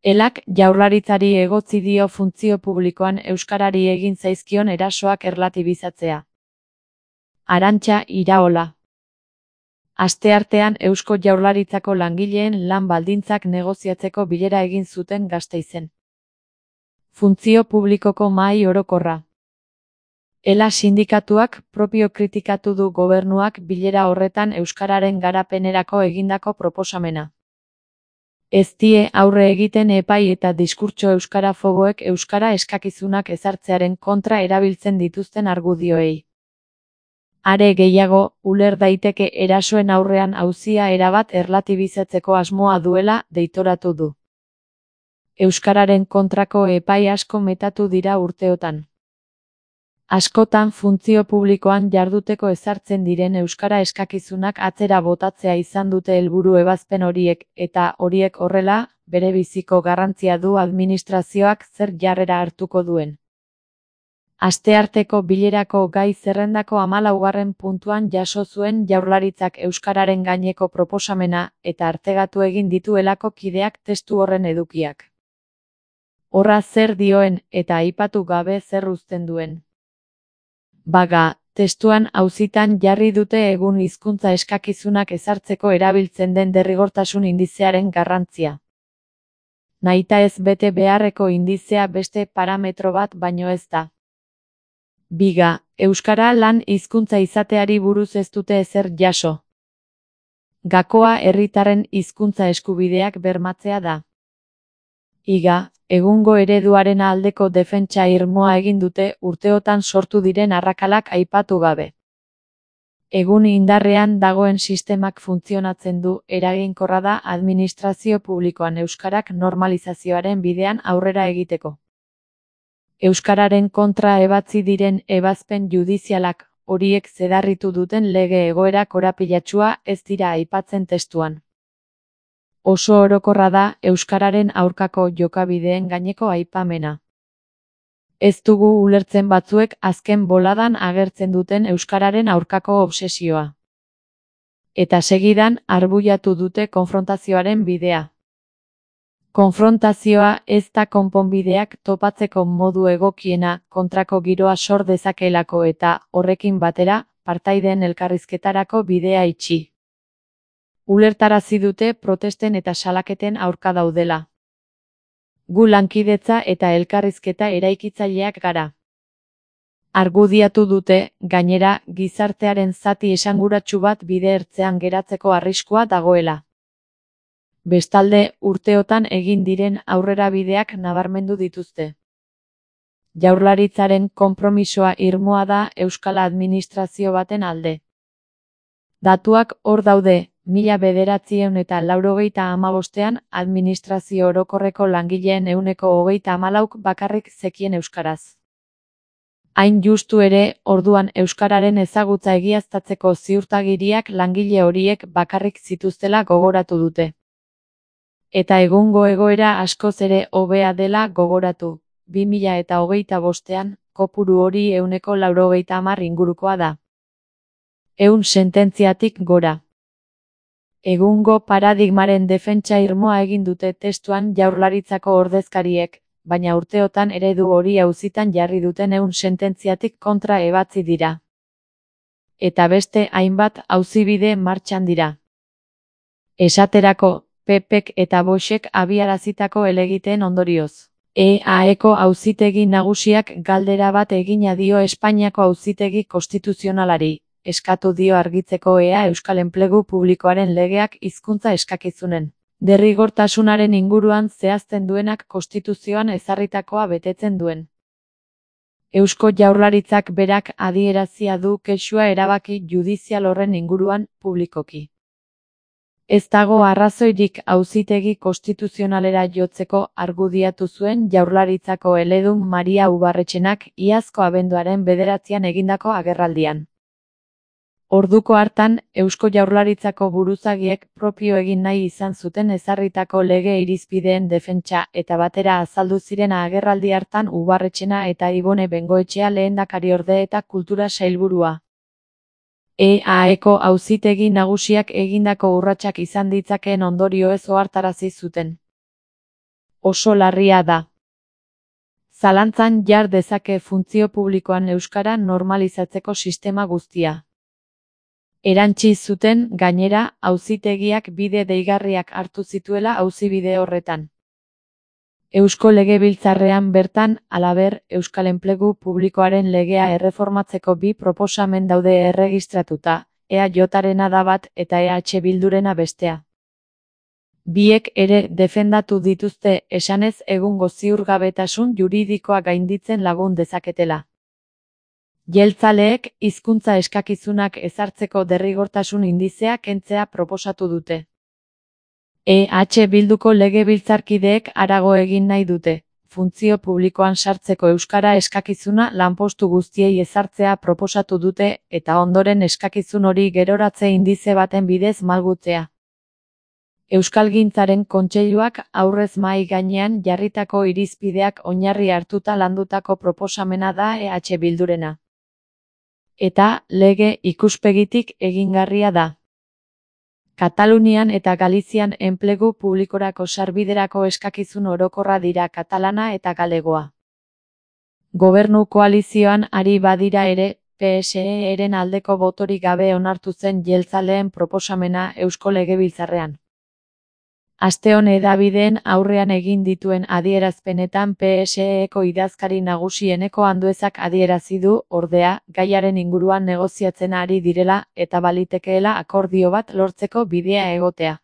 Elak Jaurlaritzari egotzi dio funtzio publikoan euskarari egin zaizkion erasoak erlatibizatzea. Arantxa Iraola. Asteartean Eusko Jaurlaritzako langileen lan baldintzak negoziatzeko bilera egin zuten Gasteizen. Funtzio publikoko mahai orokorra. Ela sindikatuak propio kritikatu du gobernuak bilera horretan euskararen garapenerako egindako proposamena. Ez die aurre egiten epai eta diskurtso euskarafoboek euskara eskakizunak ezartzearen kontra erabiltzen dituzten argudioei. Are gehiago, uler daiteke erasoen aurrean auzia erabat erlatibizatzeko asmoa duela deitoratu du. Euskararen kontrako epai asko metatu dira urteotan. Askotan funtzio publikoan jarduteko ezartzen diren euskara eskakizunak atzera botatzea izan dute helburu ebazpen horiek, eta horiek horrela, berebiziko garrantzia du administrazioak zer jarrera hartuko duen. Astearteko bilerako gai zerrendako 14. puntuan jaso zuen Jaurlaritzak euskararen gaineko proposamena eta artegatu egin dituelako kideak testu horren edukiak. Horra zer dioen eta aipatu gabe zer uzten duen. Baga, testuan auzitan jarri dute egun hizkuntza eskakizunak ezartzeko erabiltzen den derrigortasun indizearen garrantzia. Nahita ez bete beharreko indizea beste parametro bat baino ez da. Biga, euskara lan hizkuntza izateari buruz ez dute ezer jaso. Gakoa herritarren hizkuntza eskubideak bermatzea da. Iga, egungo ereduaren aldeko defentsa irmoa egin dute urteotan sortu diren arrakalak aipatu gabe. Egun indarrean dagoen sistemak funtzionatzen du, eraginkorra da administrazio publikoan euskarak normalizazioaren bidean aurrera egiteko. Euskararen kontra ebatzi diren ebazpen judizialak, horiek zedarritu duten lege egoera korapilatsua ez dira aipatzen testuan. Oso orokorra da euskararen aurkako jokabideen gaineko aipamena. Ez dugu ulertzen batzuek azken boladan agertzen duten euskararen aurkako obsesioa. Eta segidan arbuiatu dute konfrontazioaren bidea. Konfrontazioa ez da konponbideak topatzeko modu egokiena kontrako giroa sor dezakeelako eta, horrekin batera, partaideen elkarrizketarako bidea itxi. Ulertarazi dute protesten eta salaketen aurka daudela. Gu lankidetza eta elkarrizketa eraikitzaileak gara. Argudiatu dute, gainera, gizartearen zati esanguratsu bat bide ertzean geratzeko arriskua dagoela. Bestalde, urteotan egin diren aurrerabideak nabarmendu dituzte. Jaurlaritzaren konpromisoa irmoa da euskal administrazio baten alde. Datuak hor daude. 1995ean administrazio orokorreko langileen 94%k bakarrik zekien euskaraz. Hain justu ere, orduan euskararen ezagutza egiaztatzeko ziurtagiriak langile horiek bakarrik zituztela gogoratu dute. Eta egungo egoera askoz ere hobea dela gogoratu. 2025ean, kopuru hori 90% ingurukoa da. 100 sententziatik gora. Egungo paradigmaren defentsa irmoa egin dute testuan Jaurlaritzako ordezkariek, baina urteotan eredu hori auzitan jarri duten 100 sententziatik kontra ebatzi dira. Eta beste hainbat auzibide martxan dira. Esaterako, PPk eta Voxek abiarazitako helegiteen ondorioz. EAeko auzitegi nagusiak galdera bat egina dio Espainiako auzitegi konstituzionalari. Eskatu dio argitzeko ea euskal enplegu publikoaren legeak hizkuntza eskakizunen derrigortasunaren inguruan zehazten duenak konstituzioan ezarritakoa betetzen duen. Eusko Jaurlaritzak berak adierazia du kexua erabaki judizial horren inguruan publikoki. Ez dago arrazoirik auzitegi konstituzionalera jotzeko argudiatu zuen Jaurlaritzako eledun Maria Ubarretxenak iazko abenduaren 9 egindako agerraldian. Orduko hartan, Eusko Jaurlaritzako buruzagiek propio egin nahi izan zuten ezarritako lege irizpideen defentsa eta batera azaldu ziren agerraldi hartan Ubarretxena eta Ibone Bengoetxea lehendakariorde eta kultura sailburua. EAeko auzitegi nagusiak egindako urratsak izan ditzakeen ondorioez ohartarazi zuten. oso larria da. Zalantzan jar dezake funtzio publikoan euskara normalizatzeko sistema guztia. Erantsi zuten, gainera, auzitegiak bide deigarriak hartu zituela auzibide horretan. Eusko Legebiltzarrean bertan, halaber, euskal enplegu publikoaren legea erreformatzeko 2 proposamen daude erregistratuta, EAJarena da bat eta EH Bildurena bestea. Biek ere defendatu dituzte esanez egungo ziurgabetasun juridikoa gainditzen lagun dezaketela. Jeltzaleek hizkuntza eskakizunak ezartzeko derrigortasun indizea kentzea proposatu dute. EH Bilduko legebiltzarkideek harago egin nahi dute, funtzio publikoan sartzeko euskara eskakizuna lanpostu guztiei ezartzea proposatu dute eta ondoren eskakizun hori geroratze indize baten bidez malgutzea. Euskalgintzaren Kontseiluak aurrez mahai gainean jarritako irizpideak oinarri hartuta landutako proposamena da EH Bildurena. Eta, lege ikuspegitik egingarria da. Katalunian eta Galizian enplegu publikorako sarbiderako eskakizun orokorra dira katalana eta galegoa. Gobernu koalizioan ari badira ere, PSE-ren aldeko botorik gabe onartu zen jeltzaleen proposamena Eusko Legebiltzarrean. Asteon hedabideen aurrean egin dituen adierazpenetan PSE-eko idazkari nagusi Eneko Anduezak adierazi du, ordea, gaiaren inguruan negoziatzen ari direla eta balitekeela akordio bat lortzeko bidea egotea.